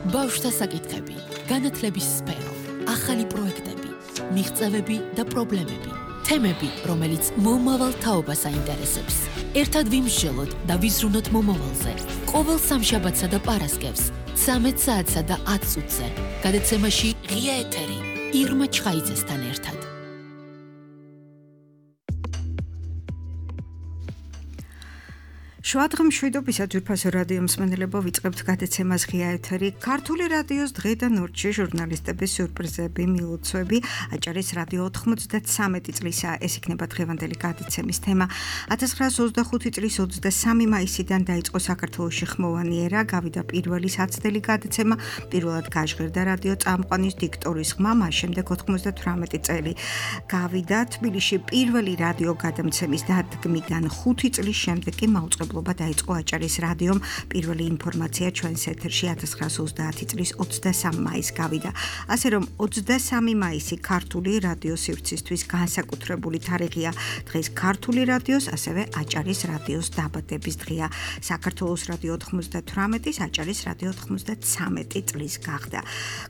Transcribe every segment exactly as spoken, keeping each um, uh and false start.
ბავშვთა საკითხები, განათლების სფერო, ახალი პროექტები, მიღწევები და პრობლემები, თემები, რომელიც მომავალ თაობას აინტერესებს. ერთად ვიმსჯელოთ და ვიზრუნოთ მომავალზე. ყოველ სამშაბათსა და პარასკევს, ცამეტ საათსა და ათ წუთზე. გადაცემაში ღია ეთერი, ირმა ჩხაიძესთან ერთად. შუადღე მშვიდობისა ძვირფასო რადიო მსმენელებო, ვიწყებთ გადაცემას ღია ეთერი. ქართული რადიოს დღე და ნორჩი ჟურნალისტების სიურპრიზები, მილოცვები, აჭარის რადიო ოცდამეტრე წლისა, ეს იქნება დღევანდელი გადაცემის თემა. ათას ცხრაას ოცდახუთი წლის ოცდასამი მაისიდან დაიწყო საქართველოში ხმოვანი ერა, გავიდა პირველი საცდელი გადაცემა, პირველად გაჟღერდა რადიო წამყვანის დიქტორის ხმა, მას შემდეგ ოცდათვრამეტი წელი გავიდა თბილისში პირველი რადიო გადამცემის დადგმიდან ხუთი წლის შემდეგ კი მაუწყებლობა დაიწყო აჭარის რადიომ. პირველი ინფორმაცია ჩვენს ეთერში ათას ცხრაას ოცდაათი წლის ოცდასამი მაისს გავიდა. ასე რომ ოცდასამი მაისი ქართული რადიოს სივრცისთვის განსაკუთრებული თარიღია. დღეს ქართული რადიოს, ასევე აჭარის რადიოს დაბადების დღეა. საქართველოს რადიო ოცდათვრამეტის, აჭარის რადიო ოცდამეცხრე წლის გახდა.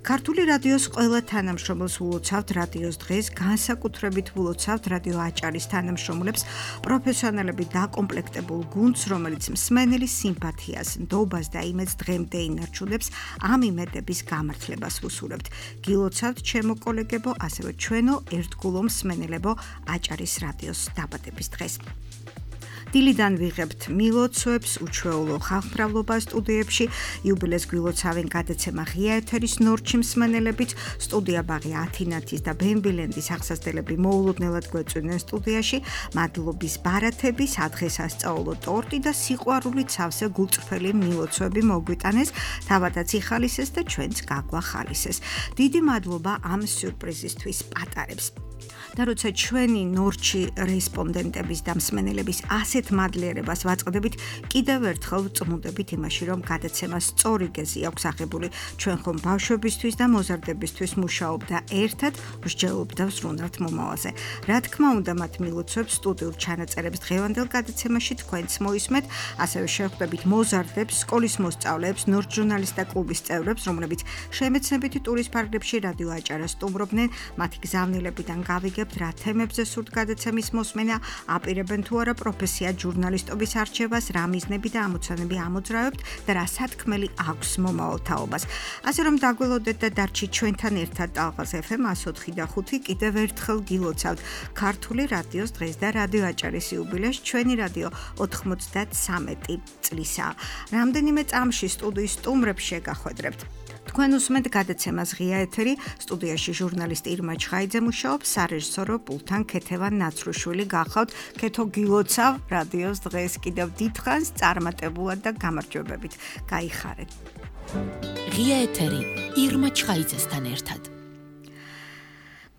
ქართული რადიოს ყველა თანამშრომელს ულოცავთ რადიოს დღეს, განსაკუთრებით ულოცავთ რადიო აჭარის თანამშრომლებს, პროფესიონალები დაკომპლექტებულ გუნდს, რომელიც მსმენელის სიმპათიას, ნდობას და იმედს დღემდე ინარჩუნებს, ამ იმედების გამართლებას ვუსურებთ. გილოცავთ ჩემო კოლეგებო, ასევე ჩვენო ერთგულო მსმენელებო აჭარის რადიოს დაბადების დღეს. დილიდან ვიღებთ მილოცვებს, უჩვეულო ხალხმრავლობა სტუდიებში, იუბილეს გვილოცავენ გადაცემა ღია ეთერის ნორჩი მსმენელებით, სტუდია ბაღი ათინათის და ბემბილენდის აღსასდელები მოულოდნელად გვეწვენენ სტუდიაში, მადლობის ბარათები, სადღესასწაულო ტორტი და სიყვარულით სავსე გულწრფელი მილოცვები მოგვიტანეს, თავადაც იხალისეს და ჩვენც გაგვახალისეს. დიდი მადლობა ამ სიურპრიზისთვის პატარებს. და როცა ჩვენი ნორჩი რესპონდენტების და მსმენელების ასეთ მადლიერებას ვაწყდებით, კიდევ ერთხელ ვწმუდებით იმაში, რომ გადაცემა სწორი გეზი აქვს აღებული. ჩვენ ხომ ბავშვებისთვის და მოზარდებისთვის მუშაობ და ერთად ვსჯელობ და ვზრუნავთ მომავალზე. რა თქმა უნდა, მათ მილოცვებს, სტუდიურ ჩანაწერებს დღევანდელ გადაცემაში თქვენც მოისმეთ, ასევე შევხვდებით მოზარდებს, სკოლის მოსწავლეებს, ნორჩ ჟურნალისტთა კლუბის წევრებს, რომლებიც შემეცნებითი ტურის ფარგლებში რადიო აჭარას სტუმრობდნენ, მათი გზავნილებიდან გავიგებთ, რა თემებზე სურთ გადაცემის მოსმენა, აპირებენ თუ არა პროფესია ჟურნალისტობის არჩევას, რა მიზნები და ამოცანები ამოძრავებთ და რა სათქმელი აქვს მომავალ თაობას. ასე რომ დაგველოდეთ და დარჩით ჩვენთან ერთად ტალღას ეფ ემ εκατს ოთხი და ხუთი, კიდევ ერთხელ გილოცავთ ქართული რადიოს დღეს და რადიო აჭარის იუბილეს, ჩვენი რადიო ოცდამეცხრე წლისა. რამდენიმე წამში სტუდიის სტუმრებს შეგახვედრებთ. თქვენ უსმენთ გადაცემას ღია ეთერი, სტუდიაში ჟურნალისტი ირმა ჩხაიძე მუშაობს, სარეჟისორო პულტთან ქეთევან ნაცრუშვილი გახავთ. ქეთო გილოცავ რადიოს დღეს კიდევ დიდხანს წარმატებულად და გამარჯვებებით. გაიხარეთ. ღია ეთერი, ირმა ჩხაიძესთან ერთად.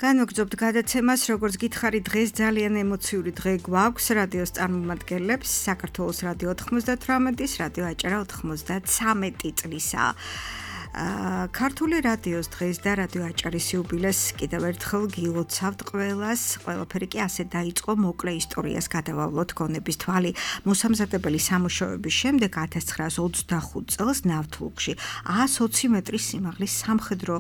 განვაგრძობთ გადაცემას, როგორც გითხარი, დღეს ძალიან ემოციური დღე გვაქვს რადიოს წარმომადგენლებს, საქართველოს რადიო ოცდათვრამეტის, რადიო აჭარა ოცდამეცხრე წლისა. ქართული რადიოს დღეს და რადიო აჭარის იუბილეს კიდევ ერთხელ გილოცავთ ყველას, ყველაფერი კი ასე დაიწყო, მოკლე ისტორიას გადავავლოთ გონების თვალი. მოსამზადებელი სამუშაოების შემდეგ ათას ცხრაას ოცდახუთ წელს ნავთლუგში ას ოცი მეტრის სიმაღლის სამხედრო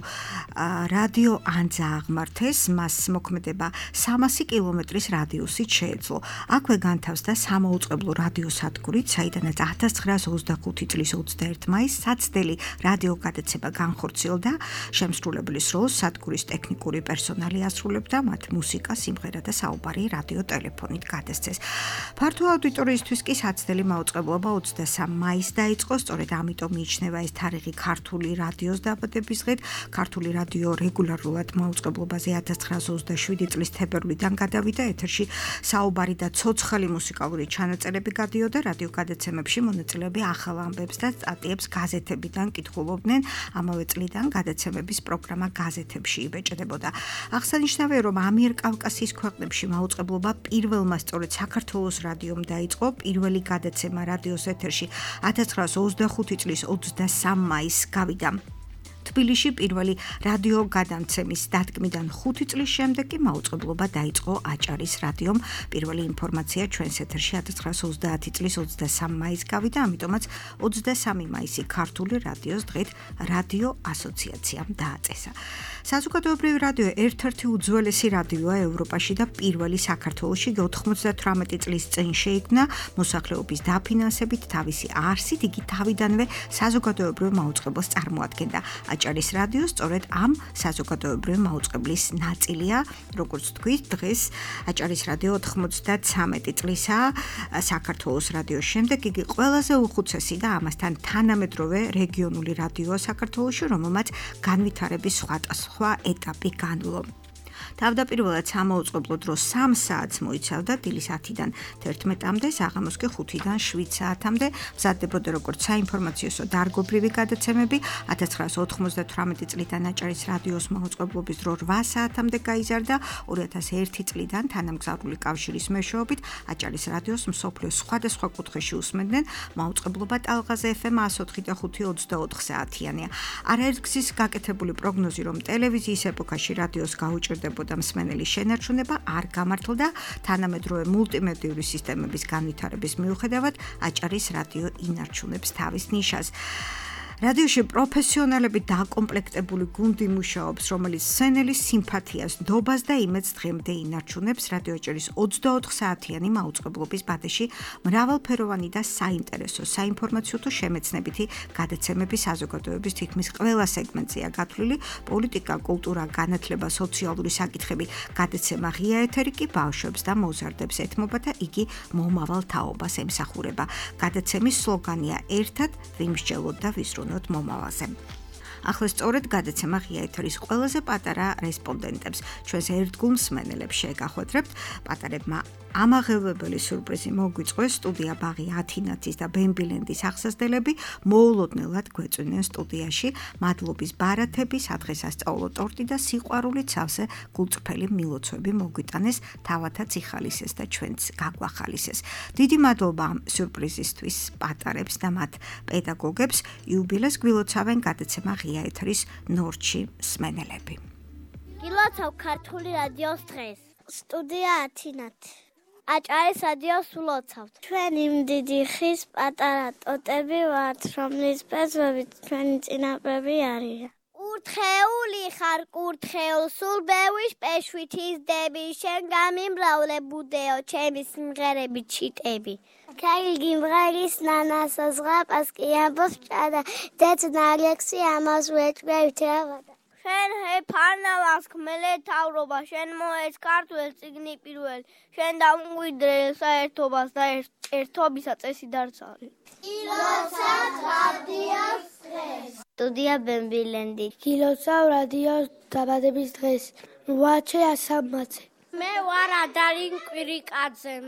რადიო ანძა აღმართეს, მას მოქმედება სამასი კილომეტრის რადიუსით შეეძლო. აქვე განთავსდა სამაუწყებლო რადიოსადგური, საიდანაც ათას ცხრაას ოცდახუთი წლის ოცდაერთი მაისს საცდელი რადიო გადაცემა განხორციელდა. შემსრულებლის როლს სადგურის ტექნიკური პერსონალი ასრულებდა, მათ მუსიკა, სიმღერა და საუბარი რადიო ტელეფონით გადასცეს. ფართო აუდიტორიისთვის კი საცდელი მაუწყებლობა ოცდასამი მაისს დაიწყო, სწორედ ამიტომ მიიჩნევა ეს თარიღი ქართული რადიოს დაბადების დღედ. ქართული რადიო რეგულარულად მაუწყებლობაზე ათას ცხრაას ოცდაშვიდი წლის თებერვლიდან გადავიდა, ეთერში საუბარი და ცოცხალი მუსიკალური ჩანაწერები გადიოდა, რადიო გადაცემებში მონაწილეები ახალ ამბებს და სტატიებს გაზეთებიდან კითხულობდნენ. ამავე წლიდან გადაცემების პროგრამა გაზეთებში იბეჭდებოდა. აღსანიშნავია, რომ ამიერკავკასიის ქვეყნებში მაუწყებლობა პირველმა სწორედ საქართველოს რადიომ დაიწყო. პირველი გადაცემა რადიოს ეთერში ათას ცხრაას ოცდახუთი წლის ოცდასამი მაისს გავიდა. თბილისში პირველი რადიო გადამცემის დადგმიდან ხუთი წლის შემდეგ კი მაუწყებლობა დაიწყო აჭარის რადიომ. პირველი ინფორმაცია ჩვენს ეთერში ათას ცხრაასი ოცდაათი წლის ოცდასამი მაისს გავიდა, ამიტომაც ოცდასამი მაისი ქართული რადიოს დღედ რადიო ასოციაციამ დააწესა. საზოგადოებრივი რადიო ერთ-ერთი უძველესი რადიოა ევროპაში და პირველი საქართველოში ოცდათვრამეტი წლის წინ შეიქმნა მოსახლეობის დაფინანსებით, თავისი არსით იგი თავიდანვე საზოგადოებრივ მაუწყებელს წარმოადგენდა. აჭარის რადიო სწორედ ამ საზოგადოებრივი მაუწყებლის ნაწილია, როგორც თქვით, დღეს აჭარის რადიო ოცდათვრამეტი წლისაა, საქართველოს რადიოს შემდეგ იგი ყველაზე უხუცესი და ამასთან თანამედროვე რეგიონული რადიოა საქართველოში, რომელმაც განვითარების სხვადასხვა ეტაპი განვლო. თავდაპირველად სამაუწყებლო დრო სამ საათს მოიცავდა, დილის ათიდან თერთმეტამდე, საღამოს კი ხუთიდან შვიდ საათამდე, მზადდებოდა როგორც საინფორმაციო დარგობრივი გადაცემები. ათას ცხრაასი ოცდათვრამეტი წლიდან აჭარის რადიოს მაუწყებლობის დრო რვა საათამდე გაიზარდა, ორი ათას ერთი წლიდან თანამგზავრული კავშირის მეშვეობით აჭარის რადიოს მსოფლიოს სხვადასხვა კუთხეში უსმენდნენ, მაუწყებლობა ტალღაზე ეფ ემ εκατო ოთხი და ხუთი ოცდაოთხ საათიანია. არაერთგზის გაკეთებული პროგნოზი, რომ ტელევიზიის ეპოქაში რადიოს გაუჭირდებოდა მსმენელის შენარჩუნება არ გამართლდა, თანამედროვე მულტიმედიური სისტემების განვითარების მიუხედავად აჭარის რადიო ინარჩუნებს თავის ნიშას. რადიოში პროფესიონალები დაკომპლექტებული გუნდი მუშაობს, რომელიც მსმენელის სიმპათიას, ნდობას და იმედს დღემდე ინარჩუნებს. რადიო აჭარის ოცდაოთხ საათიანი მაუწყებლობის ბადეში მრავალფეროვანი და საინტერესო საინფორმაციო თუ შემეცნებითი გადაცემები საზოგადოების თითქმის ყველა სეგმენტზეა გათვლილი. პოლიტიკა, კულტურა, განათლება, სოციალური საკითხები, გადაცემა ღია ეთერი კი ბავშვებს და მოზარდებს ეთმობა და იგი მომავალ თაობას ემსახურება. გადაცემის სლოგანია ერთად ვიმსჯელოთ და ვისრუნოთ მომავალზე. ახლა სწორედ გადაცემა ღია ეთერის ყველაზე პატარა რესპონდენტებს, ჩვენს ერთგულ მსმენელებს შეგახვედრებთ. პატარებმა ამაღელვებელი სიურპრიზი მოგვიწყვეს, სტუდია ბაღი ათინათის და ბემბილენდის აღსასდელები მოულოდნელად გვეწვნენ სტუდიაში. მადლობის ბარათები, სადღესასწაულო ტორტი და სიყვარულით სავსე გულწრფელი მილოცვები მოგვიტანეს, თავათაც იხალისეს და ჩვენც გაგვახალისეს. დიდი მადლობა ამ სიურპრიზისთვის პატარებს და მათ პედაგოგებს. იუბილეს გვილოცავენ გადაცემა ღია ეთერის ნორჩი მსმენელები. გილოცავ ქართული რადიოს დღეს. სტუდია ათინათი. აჭარის რადიოს ვლოცავთ. ჩვენი დიდი ხის პატარა ტოტები ვართ, რომლის ბეწვებით ჩვენი წინაპრები არიან. კურთხეული ხარ, კურთხეულ სულ ბევრის პეშვით იზდები, შენ გამიმრავლე ბუდეო, ჩემი სიმღერები ჩიტები. ქაილგი მღერის ნანასო ზღაპას კი ამბობს ჭადა, ძეცნა ალექსი ამას ვეჭვევით ავადა. შენ ჰეფარნავას ხმელე თავრობა, შენ მოეც ქართველ წიგნი პირველ, შენ დამგვიდრე საერთობას და ერთობისა წესი დარწალი. გილოცავ რადიოს დღეს. სტუდია ბემბილენდი. გილოცავ რადიოს დაბადების დღეს. რვაჩე ასამაცე. მე ვარ ადარინ კვირიკაძე.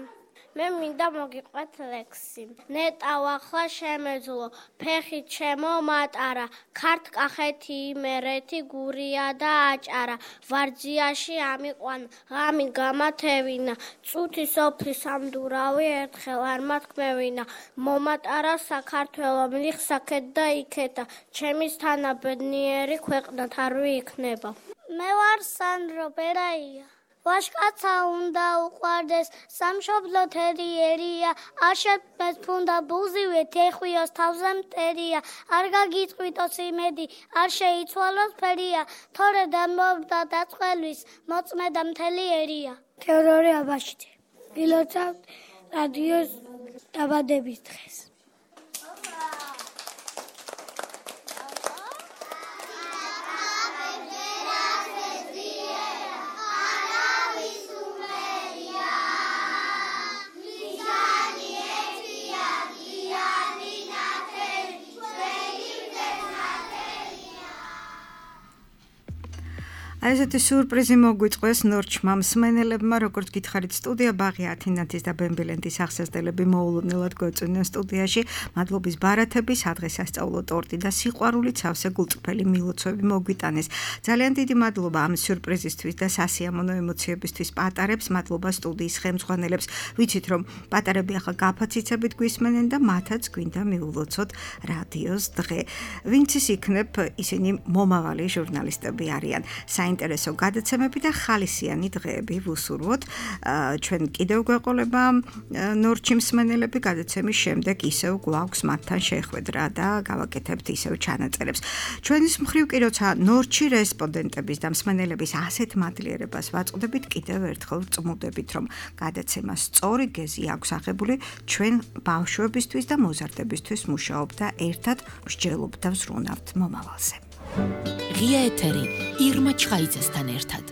მე მინდა მოგიყვეთ ლექსი. ნეტავ ახლა შემეძლო, ფეხი ჩემო მატარა, ქართკახეთი იმერეთი გურია და აჭარა, ვარძიაში ამიყვან, ღამი გამათევინა, წუთი სოფლის სამდურავი ერთხელ არ მათქმევინა, მომატარა საქართველო მიხსაქეთ და იქეთა, ჩემის თანაბედნიერი ქვეყნად არ ვიქნება. მე ვარ სანდრო ბერაია. ვაშკაცა უნდა უყვარდეს, სამშობლო თერიერია, არ შეფმეს ფუნდა ბუზივე, თეხვიოს თავზე მტერია, არ გაგიწყვიტოს იმედი, არ შეიცვალოს ფერია, თორე დამოვდა დაწყელვის, მოწმედა მთელი ერია. თეოდორე აბაშიძე. გილოცავთ რადიოს დაბადების დღეს. აი ესეთი სიურპრიზი მოგვიწყვეს ნორჩმა მსმენელებმა, როგორც გითხარით, სტუდია ბაღი ათინათის და ბემბილენდის ახსასდელები მოულოდნელად გვეწვნენ სტუდიაში. მადლობის ბარათები, სადღესასწაულო ტორტი და სიყვარულით სავსე გულწრფელი მილოცვები მოგვიტანეს. ძალიან დიდი მადლობა ამ სიურპრიზისთვის და სასიამოვნო ემოციებისთვის პატარებს, მადლობა სტუდიის ხელმძღვანელებს. ვიცით, რომ პატარები ახლა გაფაციცებით გვისმენენ და მათაც გვინდა მიულოცოთ რადიოს დღე. ვინც ის იქნებ, ისინი მომავალი ჟურნალისტები არიან. საინტერესო გადაცემები და ხალისიანი დღეები ვუსურვოთ. ჩვენ კიდევ გვეყოლება ნორჩი მსმენელები გადაცემის შემდეგ ისევ გვაქვს მათთან შეხვედრა და გავაკეთებთ ისევ ჩანაწერებს. ჩვენის მხრივ კი როცა ნორჩი რესპონდენტების და მსმენელების ასეთ მადლიერებას ვაწყდებით, კიდევ ერთხელ წმუდებით, რომ გადაცემა სწორი გეზი აქვს აღებული ჩვენ ბავშვებისთვის და მოზარდებისთვის მუშაობ და ერთად მსჯელობ და ვზრუნავთ მომავალზე. ღია ეთერი ირმა ჩხაიძესთან ერთად.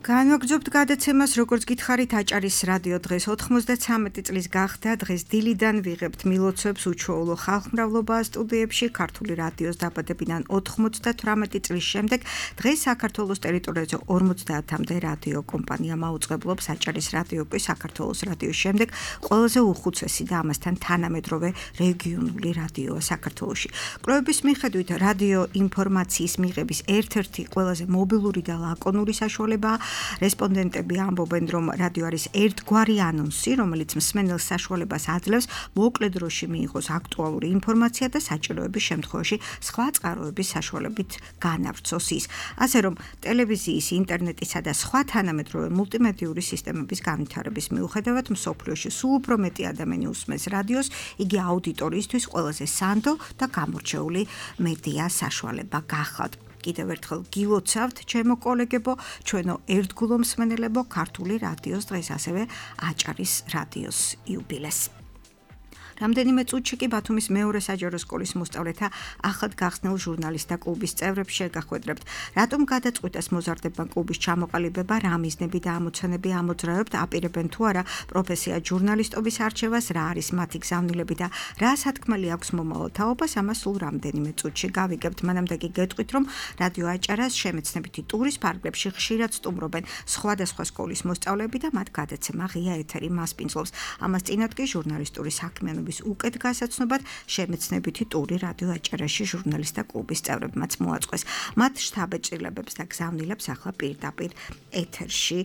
განვაგრძობთ გადაცემას, როგორც გითხარით, აჭარის რადიო დღეს ოთხმოცდათვრამეტი წლის გახდა. დღეს დილიდან ვიღებთ მილოცვებს უჩვეულო ხალხმრავლობა სტუდიებში. ქართული რადიოს დაბადებიდან ოთხმოცდათვრამეტი წლის შემდეგ დღეს საქართველოს ტერიტორიაზე ორმოცდაათამდე რადიო კომპანია მაუწყებლობს. აჭარის რადიო კი საქართველოს რადიოს შემდეგ ყველაზე უხუცესი და ამასთან თანამედროვე რეგიონული რადიოა საქართველოში. კვლევების მიხედვით რადიო ინფორმაციის მიღების ერთ-ერთი ყველაზე მობილური და ლაკონური საშუალებაა. რესპონდენტები ამბობენ, რომ რადიო არის ერთგვარი ანონსი, რომელიც მსმენელს საშუალებას აძლევს მოკლე დროში მიიღოს აქტუალური ინფორმაცია და საჭიროების შემთხვევაში სხვა წყაროების საშუალებით განავრცოს ის. ასე რომ ტელევიზიის, ინტერნეტისა და სხვა თანამედროვე მულტიმედიური სისტემების განვითარების მიუხედავად მსოფლიოში სულ უფრო მეტი ადამიანი უსმენს რადიოს, იგი აუდიტორიისთვის ყველაზე სანდო და გამორჩეული მედია საშუალება გახავთ. კიდევ ერთხელ გილოცავთ, ჩემო კოლეგებო, ჩვენო ერთგულო მსმენელებო, ქართული რადიოს დღეს ასევე აჭარის რადიოს იუბილეს. რამდენიმე წუთში კი ბათუმის მეორე საჯარო სკოლის მოსწავლეთა ახალ გახსნილ ჟურნალისტთა კლუბის წევრებს შეგახვედრებთ. რატომ გადაწყვიტეს მოზარდებმა კლუბის ჩამოყალიბება, რა მიზნები და ამოცანები ამოძრავებთ, აპირებენ თუ არა პროფესია ჟურნალისტობის არჩევას, რა არის მათი გზავნილები და რა სათქმელი აქვს მომავალ თაობას, ამას სულ რამდენიმე წუთში გავიგებთ. მანამდე კი გეტყვით, რომ რადიო აჭარას შემეცნებითი ტურის ფარგლებში ხშირად სტუმრობენ სხვადასხვა სკოლის მოსწავლეები და მათ გადაცემა ღია ეთერი მასპინძლობს. ამას წინათ კი ჟურნალისტური საქმიანობა უკეთ გასაცნობად შემეცნებითი ტური რადიო აჭარაში ჟურნალისტთა კლუბის წევრებმაც მოაწყვეს. მათ შთაბეჭდილებებს და გზავნილებს ახლა პირდაპირ ეთერში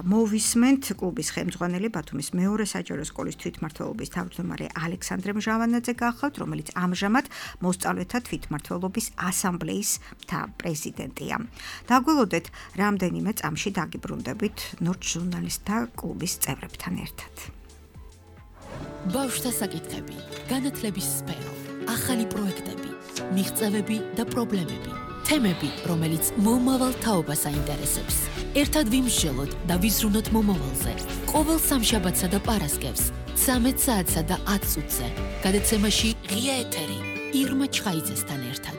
მოვისმენთ. კლუბის ხელმძღვანელი ბათუმის მეორე საჯარო სკოლის თვითმმართველობის თავმჯდომარე ალექსანდრე მჟავანაძე გახლავთ, რომელიც ამჟამად მოსწავლეთა თვითმმართველობის ასამბლეის პრეზიდენტია. დაგველოდეთ, რამდენიმე წამში დაგიბრუნდებით ნორჩ ჟურნალისტთა კლუბის წევრებთან ერთად. ბავშვთა საკითხები, განათლების სფერო, ახალი პროექტები, მიღწევები და პრობლემები, თემები, რომელიც მომავალ თაობას აინტერესებს. ერთად ვიმსჯელოთ და ვიზრუნოთ მომავალზე. ყოველ სამშაბათსა და პარასკევს, ცამეტ საათსა და ათ წუთზე. გადაცემაში ღია ეთერი ირმა ჩხაიძესთან ერთად.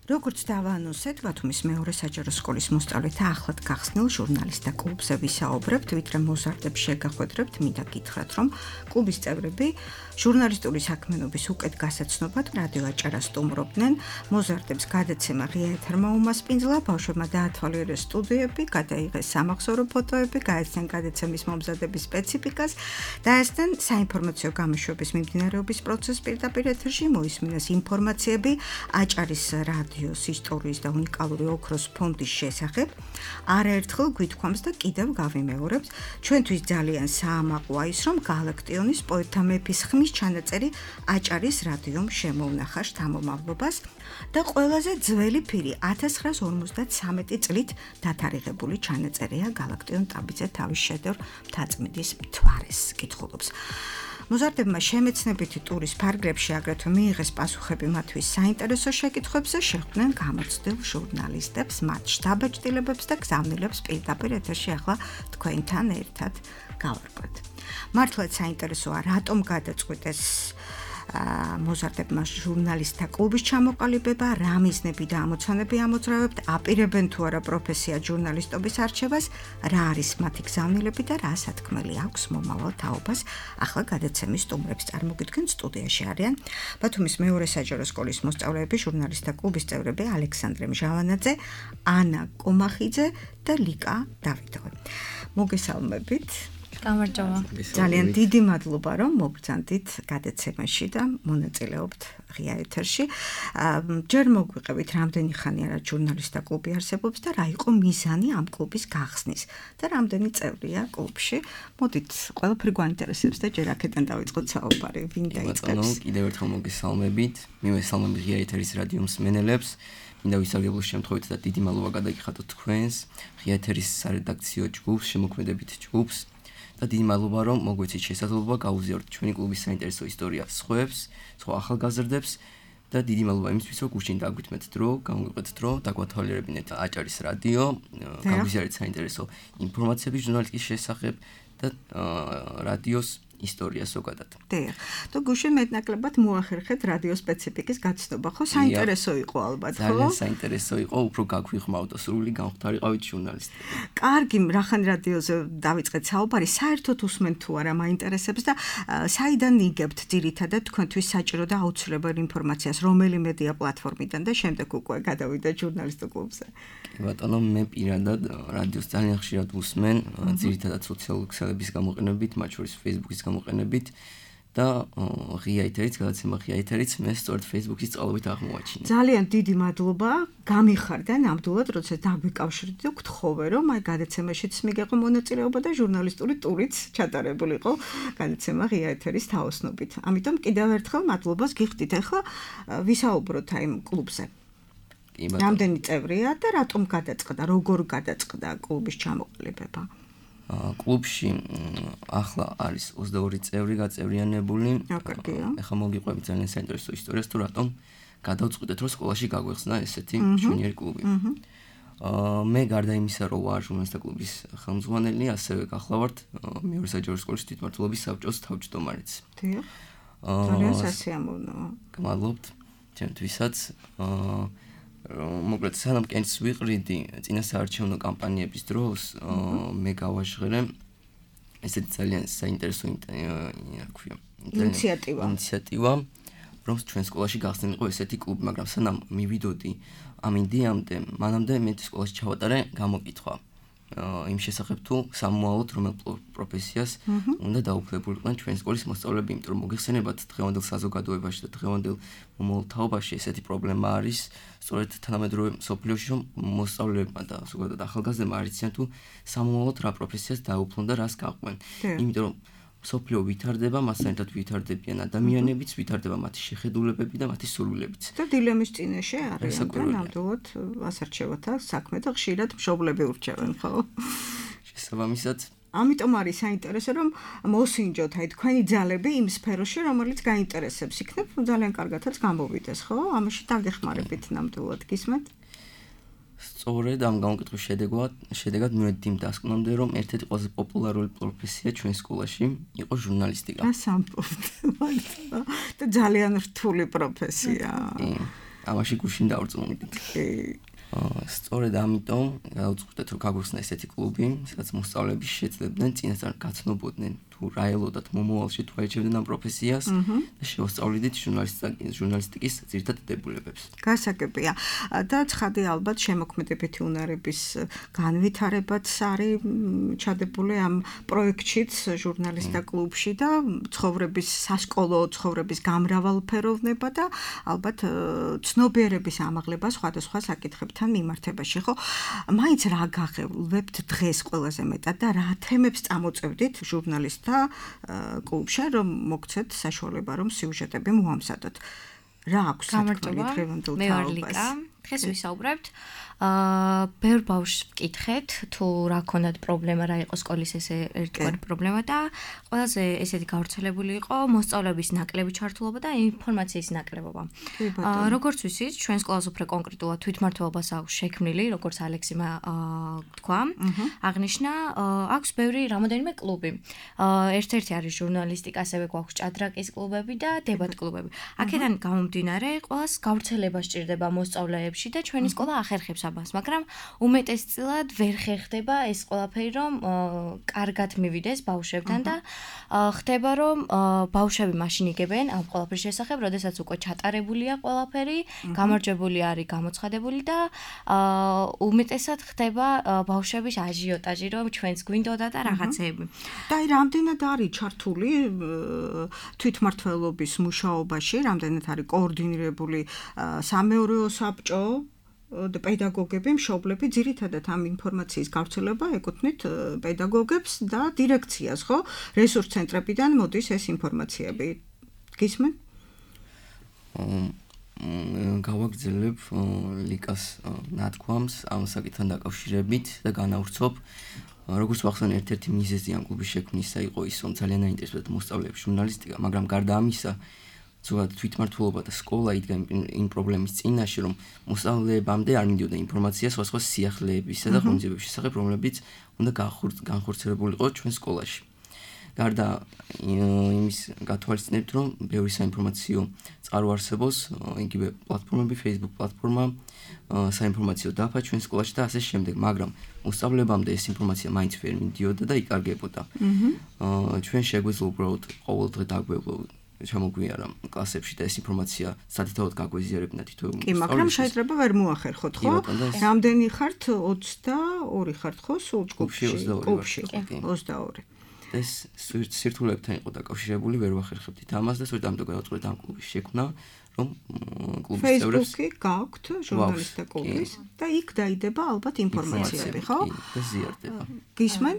როგორც დავაანონსეთ, ბათუმის მეორე საჯარო სკოლის მოსწავლეთა ახლად გახსნილ ჟურნალისტთა კლუბზე ვისაუბრებთ, ვიდრე მოზარდებს შეგახვედრებთ, მინდა გითხრათ, რომ კლუბის წევრები ჟურნალისტური საქმიანობის უკეთ გასაცნობად რადიო აჭარას სტუმრობდნენ. მოზარდებს გადაცემა ღია ეთერმა უმასპინძლა, ბავშვებმა დაათვალიერეს სტუდიები, გადაიღეს სამახსოვრო ფოტოები, გაეცნენ გადაცემის მომზადების სპეციფიკას, დაესწრნენ საინფორმაციო გამოშვების მიმდინარეობის პროცესს პირდაპირ ეთერში, მოისმინეს ინფორმაციები აჭარის რადიო ისტორიის და უნიკალური ოქროს ფონდის შესახებ. არაერთხელ გვითქვამს და კიდევ გავიმეორებთ, ჩვენთვის ძალიან საამაყოა ის, რომ გალაქტიონის პოეტთა მეფის ხმის ჩანაწერი აჭარის რადიომ შემოუნახა შთამომავლობას და ყველაზე ძველი ფირი ათას ცხრაას ორმოცდათვრამეტი წლით დათარიღებული ჩანაწერია გალაქტიონ ტაბიძე თავის შედევრ მთაწმინდის მთვარეს კითხულობს. მოზარდებმა შემეცნებითი ტურის ფარგლებში აგრეთვე მიიღეს პასუხები მათთვის საინტერესო შეკითხვებზე, შეხვდნენ გამოცდილ ჟურნალისტებს, მათ შთაბეჭდილებებს და გზავნილებს პირდაპირ ეთერში ახლა თქვენთან ერთად გავარკვევთ. მართლაც საინტერესოა, რატომ გადაწყვიტეს მოზარდებმა ჟურნალისტთა კლუბის ჩამოყალიბება, რა მიზნები და ამოცანები ამოძრავებთ, აპირებენ თუ არა პროფესია ჟურნალისტობის არჩევას, რა არის მათი გზავნილები და რა სათქმელი აქვს მომავალ თაობას. ახლა გადაცემის სტუმრებს წარმოგიდგენთ, სტუდიაში არიან ბათუმის მეორე საჯარო სკოლის მოსწავლეები, ჟურნალისტთა კლუბის წევრები ალექსანდრე მჟავანაძე, ანა კომახიძე და ლიკა დავიდოვი. მოგესალმებით. გამარჯობა. ძალიან დიდი მადლობა რომ მოგბრძანდით გადაცემაში და მონაწილეობთ ღია ეთერში. ჯერ მოგვიყევით რამდენი ხანია რა ჟურნალისტთა კლუბი არსებობს და რა იყო მიზანი ამ კლუბის გახსნის და რამდენი წევრია კლუბში. მოდით ყველაფერი გვაინტერესებს და ჯერ აქედან დავიწყოთ საუბარი. ვინ დაიწყებს? კიდევ ერთხელ მოგესალმებით. მივესალმებით ღია ეთერის რადიო მსმენელებს. მინდა ვისაუბროთ შემთხვევით და დიდი მადლობა გადაგიხადოთ თქვენს ღია ეთერის სარედაქციო ჯგუფს, შემოქმედებით ჯგუფს. და დიდი მადლობა რომ მოგვეცით შესაძლებლობა გავუზიაროთ ჩვენი კლუბის საინტერესო ისტორია სხვებს, სხვა ახალგაზრდებს და დიდი მადლობა იმისთვის რომ გუშინ დაგვითმეთ დრო, გამოვიყეთ დრო, დაგვათვალიერებინეთ აჭარის რადიო, გავუზიარეთ საინტერესო ინფორმაციები ჟურნალისტიკის შესახებ და რადიოს ისტორია ზოგადად. დიახ. თუ გუშინ მეტნაკლებად მოახერხეთ რადიო სპეციფიკის გაცნობა, ხო? საინტერესო იყო ალბათ, ხო? ძალიან საინტერესო იყო, უფრო გაგვიხმაოთ და სრული გამختارიყავით ჟურნალისტები. კარგი, რახან რადიოზე დავიწყეთ საუბარი, საერთოდ უსმენთ თუ არა მაინტერესებს და საიდან იგებთ ძირითადად თქვენთვის საჭირო და აუცილებელ ინფორმაციას, რომელი მედია პლატფორმიდან და შემდეგ უკვე გადავიდა ჟურნალისტურ კლუბზე. კი ბატონო, მე პირადად რადიოს ძალიან ხშირად ვუსმენ, ძირითადად სოციალური ქსელების გამოყენებით, მათ შორის Facebook-ის გამოყენებით და ღია ეთერიც, გადაცემა ღია ეთერიც მე სწორედ Facebook-ის წყალობით აღმოაჩინე. ძალიან დიდი მადლობა, გამიხარდა ნამდვილად, როცა დაგვიკავშირდით და გთხოვე რომ აი გადაცემაშიც მიგეყო მონაწილეობა და ჟურნალისტური ტურიც ჩატარებული იყო გადაცემა ღია ეთერის თაოსნობით. ამიტომ კიდევ ერთხელ მადლობას გიხდით. ახლა ვისაუბროთ აი კლუბზე. კი ბატონო. რამდენი წევრია და რატომ გადაწყდა, როგორ გადაწყდა კლუბის ჩამოყალიბება? კლუბში ახლა არის ოცდაორი წევრი გაწევრიანებული. აკარგია. ახლა მოგიყვებით ძალიან საინტერესო ისტორიას თუ რატომ გადავწყვიტეთ რომ სკოლაში გაგვეხსნა ესეთი ჟუნიორი კლუბი. მე გარდა იმისა რომ ვარ ჟურნალისტთა კლუბის ხელმძღვანელი, ასევე გახლავართ მეორე საჯარო სკოლის თვითმმართველობის საბჭოს თავმჯდომარეც. დიახ. ძალიან სასიამოვნოა. გმადლობთ ჩემთვისაც. მოკლედ სანამ კენს ვიყრიდი წინასაარჩევნო კამპანიების დროს მე გავაჟღერე ესეთი ძალიან საინტერესო ინიციატივა ინიციატივა რომ ჩვენ სკოლაში გახსნილიყო ესეთი კლუბი, მაგრამ სანამ მივიდოდი ამ იდეამდე, მანამდე მე სკოლაში ჩავატარე გამოკითხვა იმ შესახებ თუ სამოვალოდ რომელ პროფესიას უნდა დაუფლებულიყვნენ ჩვენ სკოლის მოსწავლეები, იმიტომ რომ მოგეხსენებათ დღევანდელ საზოგადოებაში და დღევანდელ მომავალ თაობაში ესეთი პრობლემა არის, სწორედ თანამედროვე მსოფლიოში რომ მოსწავლეებმა და ზოგადად ახალგაზრდებმა არ იციან თუ სამოვალოდ რა პროფესიას დაუფლონ და რას გაყვნენ. იმიტომ რომ მსოფლიო ვითარდება, მასთან ერთად ვითარდებიან ადამიანებიც, ვითარდება მათი შეხედულებები და მათი სურვილებიც. და დილემის წინაშე არის ნამდვილად ასარჩევათა საქმე და ხშირად მშობლები ურჩევენ, ხო? შესაბამისად ამიტომ არის საინტერესო რომ მოსინჯოთ აი თქვენი ძალები იმ სფეროში, რომელიც გაინტერესებს. იქნებ ძალიან კარგადაც გამოვიდეს, ხო? ამაში დაგეხმარებით ნამდვილად გისმენთ? სწორედ ამ გამოკითხვის შედეგად შედეგად მივედი იმ დასკვნამდე, რომ ერთ-ერთი ყველაზე პოპულარული პროფესია ჩვენ სკოლაში იყო ჟურნალისტიკა. რა სამბობთ? და ძალიან რთული პროფესია. ამაში გუშინ დავწმუნდით. სწორედ ამიტომ გავუწყდეთ რომ გაგვეხსნა ესეთი კლუბი, სადაც მოსწავლეები შეძლებდნენ წინასწარ გაცნობოდნენ თუ რა ელოდათ მომავალში თუ აიჩევდნენ ამ პროფესიას და შეუსწავლიდით ჟურნალისტიკის ძირითად დებულებებს. გასაგებია. და ცხადი ალბათ შემოქმედებითი უნარების განვითარებაც არის ჩადებული ამ პროექტშიც ჟურნალისტთა კლუბში და ცხოვრების სასკოლო ცხოვრების გამრავალფეროვნება და ალბათ ცნობიერების ამაღლება სხვადასხვა საკითხებთან მიმართებაში, ხო? მაინც რა გაღებლებთ დღეს ყველაზე მეტად და რა თემებს წამოწევდით ჟურნალისტთა კლუბში, რომ მოგცეთ საშუალება, რომ სიუჟეტები მოამზადოთ. რა აქვს გამარჯობა, მე ვარ ლიკა. დღეს ვისაუბრებთ აა ბევრ ბავშვს ვკითხეთ თუ რა ქონდათ პრობლემა, რა იყო სკოლის ესე ერთგვარი პრობლემა და ყველაზე ესეთი გავრცელებული იყო მოსწავლეების ნაკლები ჩართულობა და ინფორმაციის ნაკლებობა. აა როგორც ვიცით, ჩვენ სკოლას უფრო კონკრეტულად თვითმმართველობას აქვს შექმნილი, როგორც ალექსიმა თქვა, აღნიშნა, აქვს ბევრი რამოდენიმე კლუბი. აა ერთ-ერთი არის ჟურნალისტიკა, ასევე გვაქვს ჭადრაკის კლუბები და დებატ კლუბები. აქედან გამომდინარე, ყველას გავრცელება სჭირდება მოსწავლეებში და ჩვენი სკოლა ახერხებს ამას, მაგრამ უმეტესწილად ვერ ხერხდება ეს ყველაფერი, რომ კარგად მივიდეს ბავშვებთან და ხდება, რომ ბავშვები მაშინ იგებენ ამ ყველაფრის შესახებ, როდესაც უკვე ჩატარებულია ყველაფერი, გამარჯვებული არის, გამოცხადებული და უმეტესად ხდება ბავშვების აჟიოტაჟი, რომ ჩვენს გვინდოდა და რაღაცეები. და აი რამდენად არის ჩართული თვითმმართველობის მუშაობაში, რამდენად არის კოორდინირებული სამეურვეო საბჭო და პედაგოგები, მშობლები, ძირითადად ამ ინფორმაციის გავრცელება ეკუთვნით პედაგოგებს და დირექციას, ხო? რესურს ცენტრებიდან მოდის ეს ინფორმაციები. გისმენ? გავაგრძელებ ლიკას ნათქვამს ამ საკითხთან დაკავშირებით და განავრცობ. როგორც ვახსენე, ერთ-ერთი მიზეზი ამ კლუბის შექმნისა იყო ის, რომ ძალიან აინტერესებდათ მოსწავლეებს ჟურნალისტიკა, მაგრამ გარდა ამისა, ზოგადად თვითმმართველობა და სკოლა იდგა იმ პრობლემის წინაშე, რომ მოსწავლეებამდე არ მიდიოდა ინფორმაცია სხვადასხვა სიახლეებისა და ღონისძიებების შესახებ, რომლებიც უნდა განხორციელებულიყო ჩვენ სკოლაში. გარდა იმის გათვალისწინებთ, რომ ბევრი საინფორმაციო წყარო არსებობს, იგივე პლატფორმები, Facebook პლატფორმა, საინფორმაციო დაფა ჩვენ სკოლაში და ასე შემდეგ, მაგრამ მოსწავლეებამდე ეს ინფორმაცია მაინც ვერ მიდიოდა და იკარგებოდა. ჩვენ შეგვეძლო უბრალოდ ყოველდღე დაგვევლო ჩამოგვიარა კლასებში და ეს ინფორმაცია სათითაოდ გაგვეზიარებინა თითოეულ კი, მაგრამ შეიძლება ვერ მოახერხოთ, ხო? რამდენი ხართ? ოცდაორი ხართ, ხო? სულ ჯგუფში? ოცდაორი. ოცდაორი. ეს სირთულეებთან იყო დაკავშირებული, ვერ ვახერხებდით ამას და სწორედ ამიტომ გადავწყვეტ ამ კლუბის შექმნა, რომ კლუბის წევრებს Facebook-ი გაქვთ ჟურნალისტთა კლუბის და იქ დაიდება ალბათ ინფორმაციები, ხო? და ზიარდება. გისმენ?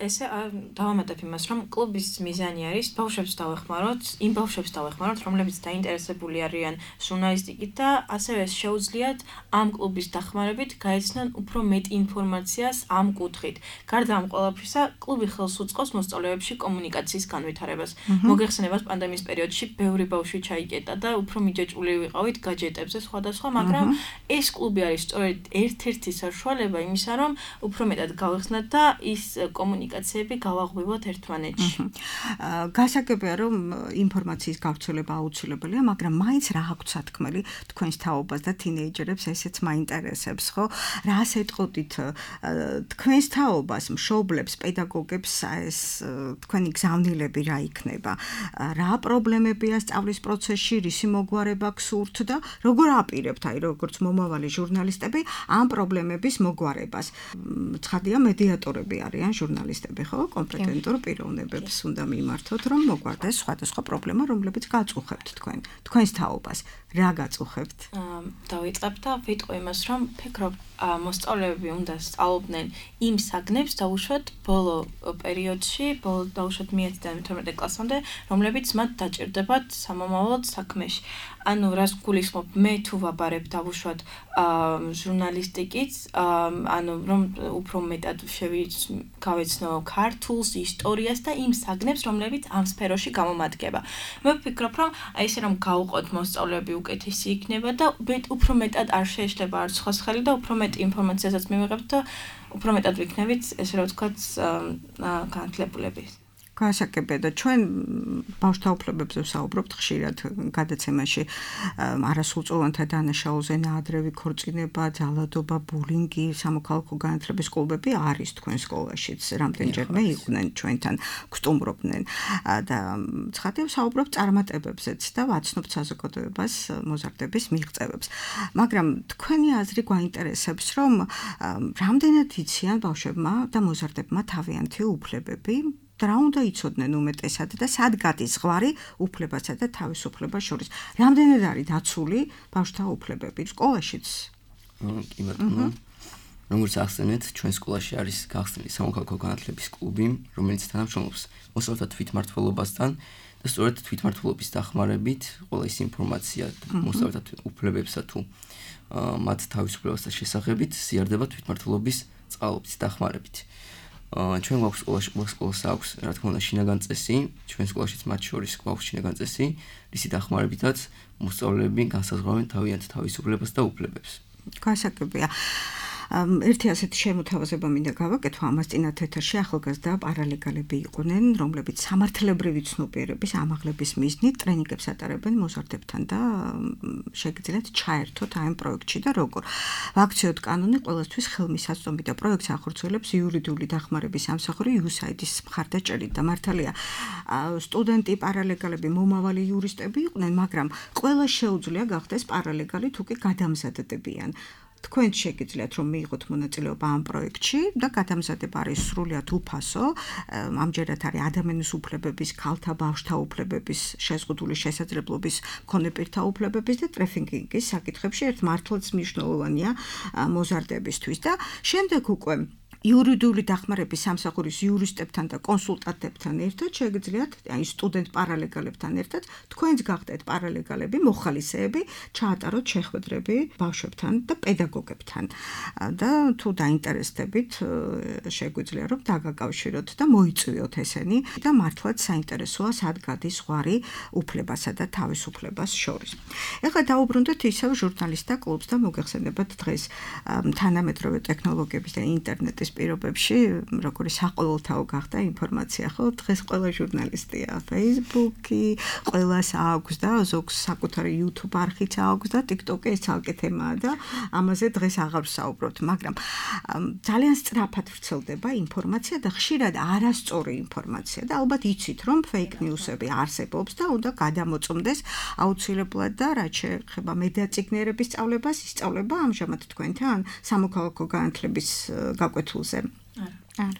ესე დავამატებ იმას, რომ კლუბის მიზანი არის ბავშვებს დავეხმაროთ, იმ ბავშვებს დავეხმაროთ, რომლებიც დაინტერესებული არიან ჟურნალისტიკით და ასევე შეუძლიათ ამ კლუბის დახმარებით გაეცნონ უფრო მეტ ინფორმაციას ამ კუთხით. გარდა ამ ყველაფრისა, კლუბი ხელს უწყობს მოსწავლეებში კომუნიკაციის განვითარებას. მოგეხსენებათ, პანდემიის პერიოდში ბევრი ბავშვი ჩაიკეტა და უფრო მიჯაჭვული ვიყავით გაჯეტებზე სხვადასხვა, მაგრამ ეს კლუბი არის სწორედ ერთ-ერთი საშუალება იმისა, რომ უფრო მეტად გავეხსნათ და ის კომუნიკაციები გავაღვივოთ ერთმანეთში. გასაგებია, რომ ინფორმაციის გავრცელება აუცილებელია, მაგრამ მაინც რა აქვს სათქმელი თქვენს თაობას და თინეიჯერებს ესეც მაინტერესებს, ხო? რას ეტყოდით თქვენს თაობას, მშობლებს, პედაგოგებს ეს თქვენი გზავნილები რა იქნება? რა პრობლემებია სწავლის პროცესში, რისი მოგვარება გსურთ და როგორ აპირებთ, აი როგორც მომავალი ჟურნალისტები ამ პრობლემების მოგვარებას? ცხადია, მედიატორები არიან ჟურნალისტები, ხო? კომპეტენტურ პიროვნებებს უნდა მიმართოთ, რომ მოგვარდეს სხვადასხვა პრობლემა, რომლებიც გაწუხებთ თქვენ, თქვენს თაობას. რა გაწუხებთ? დავიწყებ და ვიტყვი იმას, რომ ფიქრობ, მოსწავლეები უნდა სწავლობდნენ იმ საგნებს დაუშვათ ბოლო პერიოდში, ბოლო დაუშვათ მეათიდან მეთორმეტე კლასამდე, რომლებიც მათ დაჭირდებათ სამომავლოდ საქმეში. ანუ რას გულისხმობ, მე თუ ვაბარებ დავუშვათ ჟურნალისტიკით, ანუ რომ უფრო მეტად გავეცნო ქართულს, ისტორიას და იმ საგნებს, რომლებიც ამ სფეროში გამომადგება. მე ვფიქრობ, რომ აი ესე რომ გავუყოთ მოსწავლეები უკეთესი იქნება და უფრო მეტად არ შეეშლება არც სხვას ხელი და უფრო მეტ ინფორმაციასაც მივიღებთ და უფრო მეტად ვიქნებით, ესე რომ ვთქვათ, განათლებულები. გასაგებია და ჩვენ ბავშვთა უფლებებზე ვსაუბრობთ ხშირად გადაცემაში არასრულწლოვანთა დანაშაულზე, ნაადრევი ქორწინება, ძალადობა, ბულინგი, სამოქალაქო განათლების კლუბები არის თქვენ სკოლაშიც, რამდენჯერმე იყვნენ ჩვენთან, გსტუმრობდნენ და ცხადია ვსაუბრობთ წარმატებებზეც და ვაცნობთ საზოგადოებას მოზარდების მიღწევებს. მაგრამ თქვენი აზრი გვაინტერესებს, რომ რამდენად იციან ბავშვებმა და მოზარდებმა თავიანთი უფლებები და რა უნდა იცოდნენ უმეტესად და სად გადის ზღვარი უფლებასა და თავისუფლებას შორის. რამდენად არის დაცული ბავშვთა უფლებები სკოლაშიც? კი ბატონო. როგორც ახსენეთ, ჩვენ სკოლაში არის გახსნილი სამოქალაქო განათლების კლუბი, რომელიც თანამშრომლობს მოსწავლეთა თვითმმართველობასთან და სწორედ თვითმმართველობის დახმარებით ყველა ის ინფორმაცია მოსწავლეთა უფლებებსა თუ მათ თავისუფლებასთან შესახებით ზიარდება თვითმმართველობის წყალობით დახმარებით. ჩვენ გვაქვს სკოლაში ყველა სკოლას აქვს რა თქმა უნდა შინაგან წესი, ჩვენ სკოლაშიც მათ შორის გვაქვს შინაგან წესი, რისი დახმარებითაც მოსწავლეები განსაზღვრავენ თავიანთ თავისუფლებას და უფლებებს. გასაგებია. ერთი ასეთი შემოთავაზება მინდა გავაკეთო ამას წინათ ეთერში ახალგაზრდა პარალეგალები იყვნენ, რომლებიც სამართლებრივი ცნობიერების ამაღლების მიზნით ტრენინგებს ატარებენ მოზარდებთან და შეგიძლიათ ჩაერთოთ აი ამ პროექტში და როგორ. ვაქციოთ კანონი ყველასთვის ხელმისაწვდომი და პროექტს ახორციელებს იურიდიული დახმარების სამსახური იუ ეს აი დი-ის მხარდაჭერით და მართალია სტუდენტი პარალეგალები მომავალი იურისტები იყვნენ, მაგრამ ყველა შეუძლია გახდეს პარალეგალი თუ კი გადამზადდებიან. თქვენ შეგიძლიათ რომ მიიღოთ მონაწილეობა ამ პროექტში და გადამზადება არის სრულიად უფასო. ამჯერად არის ადამიანის უფლებების, ქალთა, ბავშვთა უფლებების, შეზღუდული შესაძლებლობის მქონე პირთა უფლებების და ტრაფიკინგის საკითხებში ერთ მართლაც მნიშვნელოვანია მოზარდებისთვის და შემდეგ უკვე იურიდიული დახმარების სამსახურის იურისტებთან და კონსულტანტებთან ერთად შეგიძლიათ აი სტუდენტ პარალეგალებთან ერთად თქვენც გახდეთ პარალეგალები, მოხალისეები, ჩაატაროთ შეხვედრები ბავშვებთან და პედაგოგებთან და თუ დაინტერესდებით შეგვიძლია რომ დაგაკავშიროთ და მოიწვიოთ ესენი და მართლაც საინტერესოა სად გადის ზღვარი უფლებასა და თავისუფლებას შორის. ეხლა დაუბრუნდეთ ისევ ჟურნალისტთა კლუბს და მოგეხსენებათ დღეს თანამედროვე ტექნოლოგიების და ინტერნეტის პირობებში როგორი საყოველთაო გახდა ინფორმაცია, ხო? დღეს ყველა ჟურნალისტია, Facebook-ი, ყველას აქვს და ზოგს საკუთარი YouTube არხიც აქვს და TikTok-ი ეს ცალკე თემაა და ამაზე დღეს აღარ ვსაუბრობთ, მაგრამ ძალიან სწრაფად ვრცელდება ინფორმაცია და ხშირად არასწორი ინფორმაცია და ალბათ იცით რომ fake news-ები არსებობს და უნდა გადამოწმდეს აუცილებლად და რაც შეეხება მედიაწიგნიერების სწავლებას, ისწავლება ამჟამად თქვენთან სამოქალაქო განათლების გაკვეთილ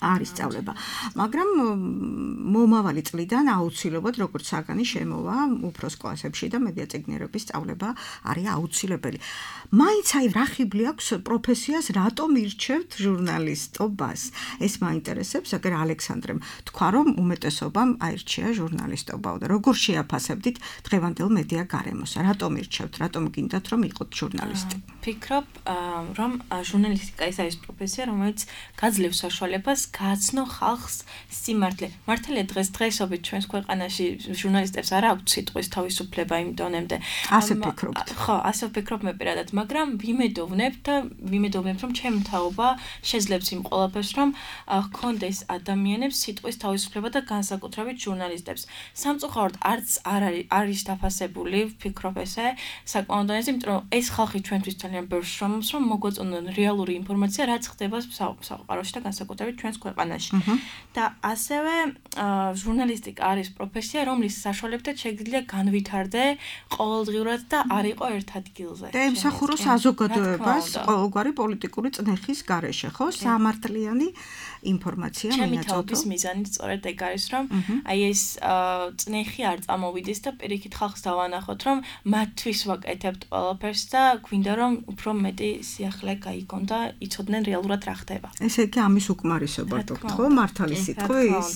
არის სწავლება, მაგრამ მომავალი წლიდან აუცილებლად როგორც საგანი შემოვა უფროს კლასებში და მედიაწიგნიერების სწავლება არის აუცილებელი. მაინც აი რა ხიბლი აქვს პროფესიას რატომ ირჩევთ ჟურნალისტობას? ეს მაინტერესებს, აგერ ალექსანდრემ თქვა რომ უმეტესობამ აირჩია ჟურნალისტობა და როგორ შეაფასებდით დღევანდელ მედია გარემოს? რატომ ირჩევთ? რატომ გინდათ რომ იყოთ ჟურნალისტი? ფიქრობ რომ ჟურნალისტიკა ის არის პროფესია, რომელიც გაძლევს საშუალებას გააცნო ხალხს სიმართლე. მართალია დღეს დღესობით ჩვენს ქვეყანაში ჟურნალისტებს არ აქვს სიტყვის თავისუფლება იმ დონემდე. ასე ფიქრობთ? ხო, ასე ვფიქრობ მე პირადად, მაგრამ ვიმედოვნებ და ვიმედოვნებ რომ ჩემი თაობა შეძლებს იმ ყველაფერს, რომ ჰქონდეს ადამიანებს სიტყვის თავისუფლება და განსაკუთრებით ჟურნალისტებს. სამწუხაროდ არც არ არის არის დაფასებული, ვფიქრობ ესე, საკმაოდ დონეზე, იმიტომ რომ ეს ხალხი ჩვენთვის ძალიან ბევრს შრომობს, რომ მოგვაწონონ რეალური ინფორმაცია, რაც ხდება საყაროში და განსაკუთრებით ჩვენს ქვეყანაში. და ასევე ჟურნალისტიკა არის პროფესია, რომლის საშუალებითაც შეგიძლია განვითარდე ყოველდღიურად და არ იყო ერთ ადგილზე. და ემსახურო საზოგადოებას ყოველგვარი პოლიტიკური წნეხის გარეშე, ხო? სამართლიანი ინფორმაცია მინაწოდო. ჩემი მინაწოდო. თაობის მიზანიც სწორედ ეგ არის, რომ აი ეს წნეხი არ წამოვიდეს და პირიქით ხალხს დავანახოთ, რომ მათთვის ვაკეთებთ ყველაფერს და გვინდა რომ უფრო მეტი სიახლე გაიგონ და იცოდნენ რეალურად რა ხდება. ესე იგი ამის უკმარისობა გქონდ, ხო? მართალი სიტყვის?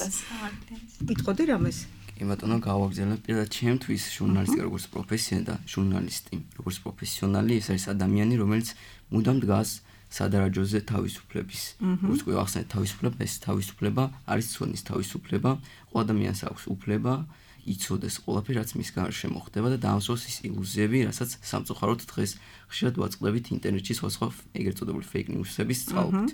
იტყოდი რამეს? კი ბატონო, გავაგზავნე პირადად ჩემთვის ჟურნალისტიკა როგორც პროფესია და ჟურნალისტი როგორც პროფესიონალი ეს არის ადამიანი, რომელიც მუდამ დგას სადარაჯოზე თავისუფლების. როგორც კი ახსენეთ თავისუფლება, ეს თავისუფლება არის ცოდნის თავისუფლება, ყველა ადამიანს აქვს უფლება იცოდეს ყველაფერი, რაც მის გარშემო ხდება და დაამსვას ის ილუზიები, რასაც სამწუხაროდ დღეს ხშირად ვაწყდებით ინტერნეტში სხვადასხვა ეგრეთ წოდებული fake news-ების წყალობით.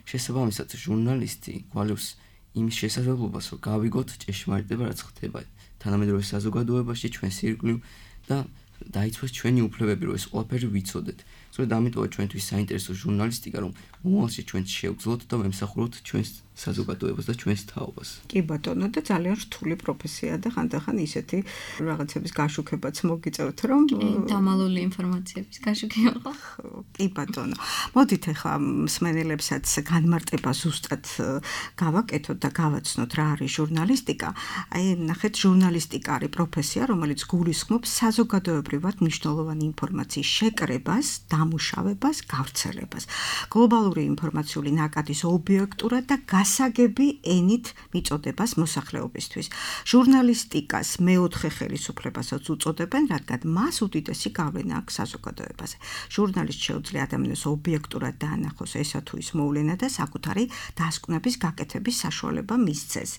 შესაბამისად, ჟურნალისტი გვალევს იმის შესაძლებლობას, რომ გავიგოთ ჭეშმარიტება, რაც ხდება თანამედროვე საზოგადოებაში, ჩვენს ირგვლივ და დაიცვას ჩვენი უფლებები, რომ ეს ყველაფერი ვიცოდეთ. სწორედ ამიტომაც ჩვენთვის საინტერესო ჟურნალისტიკა, რომ მომავალში ჩვენ შევძლოთ და ვემსახუროთ ჩვენს საზოგადოებას და ჩვენს თაობას. კი ბატონო, და ძალიან რთული პროფესია და ხანდახან ისეთი რაღაცების გაშუქებაც მოგიწევთ, რომ დამალული ინფორმაციების გაშუქება ხო? კი ბატონო. მოდით ახლა მსმენელებსაც განმარტება ზუსტად გავაკეთოთ და გავაცნოთ რა არის ჟურნალისტიკა. აი, ნახეთ, ჟურნალისტიკა არის პროფესია, რომელიც გულისხმობს საზოგადოებრივ ადგილობრივად მნიშვნელოვანი ინფორმაციის შეკრებას, დამუშავებას, გავრცელებას. გლობალური ინფორმაციული ნაკადის ობიექტურად და გასაგები ენით მიწოდებას მოსახლეობისთვის. ჟურნალისტიკას მეოთხე ხელისუფლებასაც უწოდებენ, რადგან მას უდიდესი გავლენა აქვს საზოგადოებაზე. ჟურნალისტს შეუძლია ადამიანს ობიექტურად დაანახოს ესა თუ ის მოვლენა და საკუთარი დასკვნების გაკეთების საშუალება მისცეს.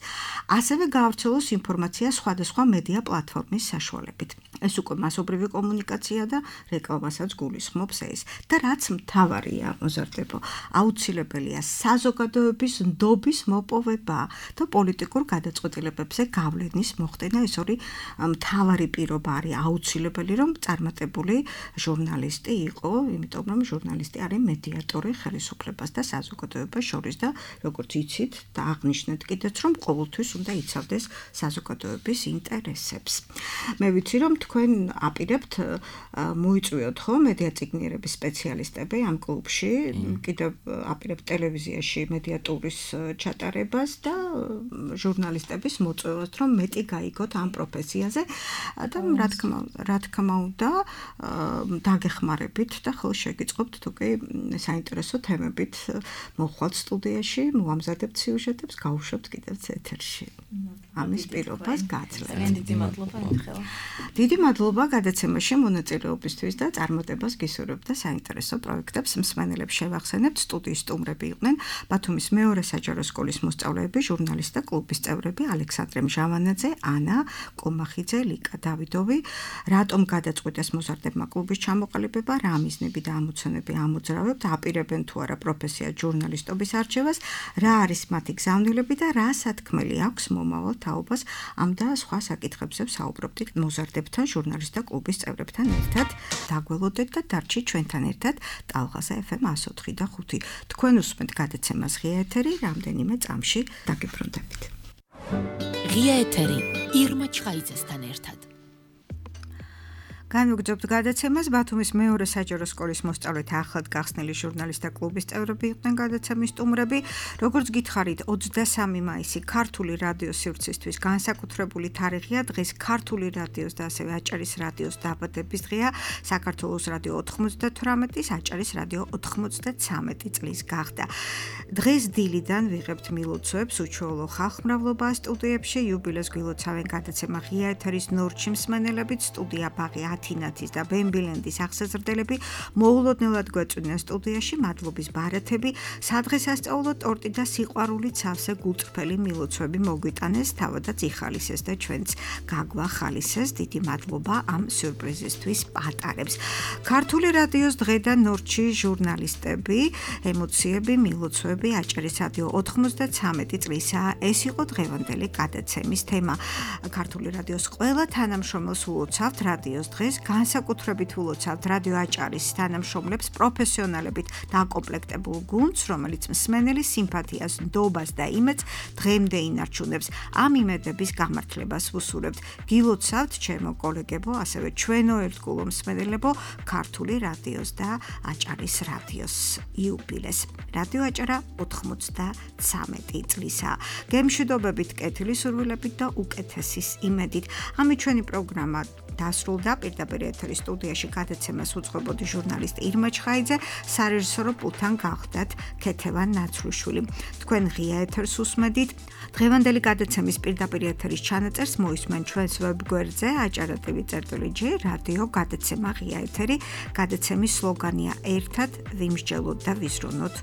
ასევე გაავრცელოს ინფორმაცია სხვადასხვა მედია პლატფორმის საშუალებით. ეს უკვე მასობრივი კომუნიკაცია და რეკლამასაც გულისხმობს ეს. და რაც მთავარია, მოზარდებო, აუცილებელია საზოგადოების ნდობის მოპოვება და პოლიტიკურ გადაწყვეტილებებზე გავლენის მოხდენა. ეს ორი მთავარი პირობა არის აუცილებელი, რომ წარმატებული ჟურნალისტი იყო, იმიტომ რომ ჟურნალისტი არის მედიატორი ხელისუფლებას და საზოგადოებას შორის და როგორც იცით და აღნიშნეთ კიდეც, რომ ყოველთვის უნდა იცავდეს საზოგადოების ინტერესებს. მე ვიცი, რომ თქვენ აპირებთ მოიწვიოთ ხო მედიაწიგნიერების სპეციალისტები ამ კლუბში, კიდევ აპირებთ ტელევიზიაში მედიატურის ჩატარებას და ჟურნალისტების მოწვევას, რომ მეტი გაიგოთ ამ პროფესიაზე და რა თქმა რა თქმა უნდა დაგეხმარებით და ხოლმე შეგიწყობთ თუ კი საინტერესო თემებით მოხვალთ სტუდიაში, მოამზადებთ სიუჟეტებს, გავუშვებთ კიდევ ეთერში. ამის პირობას გაძლევთ. დიდი მადლობა მიხელა. დიდი მადლობა გადაცემაში მონაწილეობისთვის და წარმატებას გისურვებთ და საინტერესო პროექტებს მსმენელებს შევახსენებთ. სტუდიის სტუმრები იყვნენ ბათუმის მეორე საჯარო სკოლის მოსწავლეები, ჟურნალისტთა კლუბის წევრები ალექსანდრე მჟავანაძე, ანა კომახიძე, ლიკა დავიდოვი. რატომ გადაწყვიტეს მოზარდებმა კლუბის ჩამოყალიბება, რა მიზნები და ამოცანები ამოძრავებთ, აპირებენ თუ არა პროფესია ჟურნალისტობის არჩევას, რა არის მათი გზავნილები და რა სათქმელი აქვს მომავალ თაობას. ამ და სხვა საკითხებზე საუბრობდით მოზარდებთან, ჟურნალისტთა კლუბის წევრებთან ერთად. დაგველოდეთ და დარჩით ჩვენთან ერთად ტალღაზე ეფ ემ εκατო ოთხი და ხუთი. თქვენ უსმენთ გადაცემას ღია ეთერი, რამდენიმე წამში დაგიბრუნდებით. ღია ეთერი ირმა ჩხაიძესთან ერთად. განვაგრძობთ გადაცემას. ბათუმის მეორე საჯარო სკოლის მოსწავლეთა ახლად გახსნილი ჟურნალისტთა კლუბის წევრები იყვნენ გადაცემის სტუმრები. როგორც გითხარით, ოცდასამი მაისი ქართული რადიოს სივრცისთვის განსაკუთრებული თარიღია. დღეს ქართული რადიოს და ასევე აჭარის რადიოს დაბადების დღეა. საქართველოს რადიო ოთხმოცდათვრამეტის, აჭარის რადიო ოთხმოცდაცამეტი წლის გახდა. დღეს დილიდან ვიღებთ მილოცვებს უჩვეულო ხალხმრავლობა სტუდიებში. იუბილეს გვილოცავენ გადაცემა ღია ეთერის ნორჩი მსმენელებით, სტუდია ბაღი ათინათის და ბემბილენდის აღსაზრდელები მოულოდნელად გვეწვიდნენ სტუდიაში. მადლობის ბარათები, სადღესასწაულო ტორტი და სიყვარულით სავსე გულწრფელი მილოცვები მოგვიტანეს, თავადაც იხალისეს და ჩვენც გაგვახალისეს. დიდი მადლობა ამ სიურპრიზისთვის პატარებს. ქართული რადიოს დღე და ნორჩი ჟურნალისტები, ემოციები, მილოცვები, აჭარის რადიო ოთხმოცდაცამეტი წლისაა. ეს იყო დღევანდელი გადაცემის თემა. ქართული რადიოს ყველა თანამშრომელს ულოცავთ რადიოს დღეს, განსაკუთრებით ულოცავთ რადიო აჭარის თანამშრომლებს, პროფესიონალებით დაკომპლექტებულ გუნდს, რომელიც მსმენელის სიმპათიას, ნდობას და იმედს დღემდე ინარჩუნებს. ამ იმედების გამართლებას ვუსურებთ. გილოცავთ ჩემო კოლეგებო, ასევე ჩვენო ერთგულო მსმენელებო, ქართული რადიოს და აჭარის რადიოს იუბილეს. რადიო აჭარა ოთხმოცდაცამეტი წლისაა. გემშვიდობებით, კეთილი სურვილებით და უკეთესის იმედით. ამით ჩვენი პროგრამა დასრულდა. პირდაპირ ეთერის სტუდიაში გადაცემას უძღვებოდი ჟურნალისტი ირმა ჩხაიძე, სარეჟისორო პულტთან გახდათ ქეთევან ნაცვლუშვილი. თქვენ ღია ეთერს უსმედით. დღევანდელი გადაცემის პირდაპირ ეთერის ჩანაწერს მოისმენ ჩვენს ვებგვერდზე აჭარა ტივი წერტილი ჯი რადიო გადაცემა ღია ეთერი. გადაცემის სლოგანია ერთად ვიმსჯელოთ და ვიზრუნოთ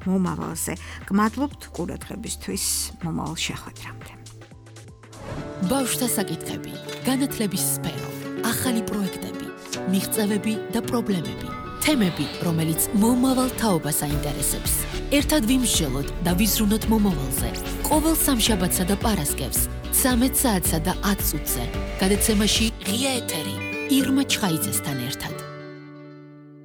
მომავალზე. გმადლობთ ყურადღებისთვის. მომავალ შეხვედრამდე. ბავშვთა საკითხები, განათლების სფერო, ახალი პროექტები, მიღწევები და პრობლემები, თემები, რომელიც მომავალ თაობას აინტერესებს. ერთად ვიმსჯელოთ და ვიზრუნოთ მომავალზე. ყოველ სამშაბათსა და პარასკევს, ცამეტ საათსა და ათ წუთზე. გადაცემაში ღია ეთერი ირმა ჩხაიძესთან ერთად.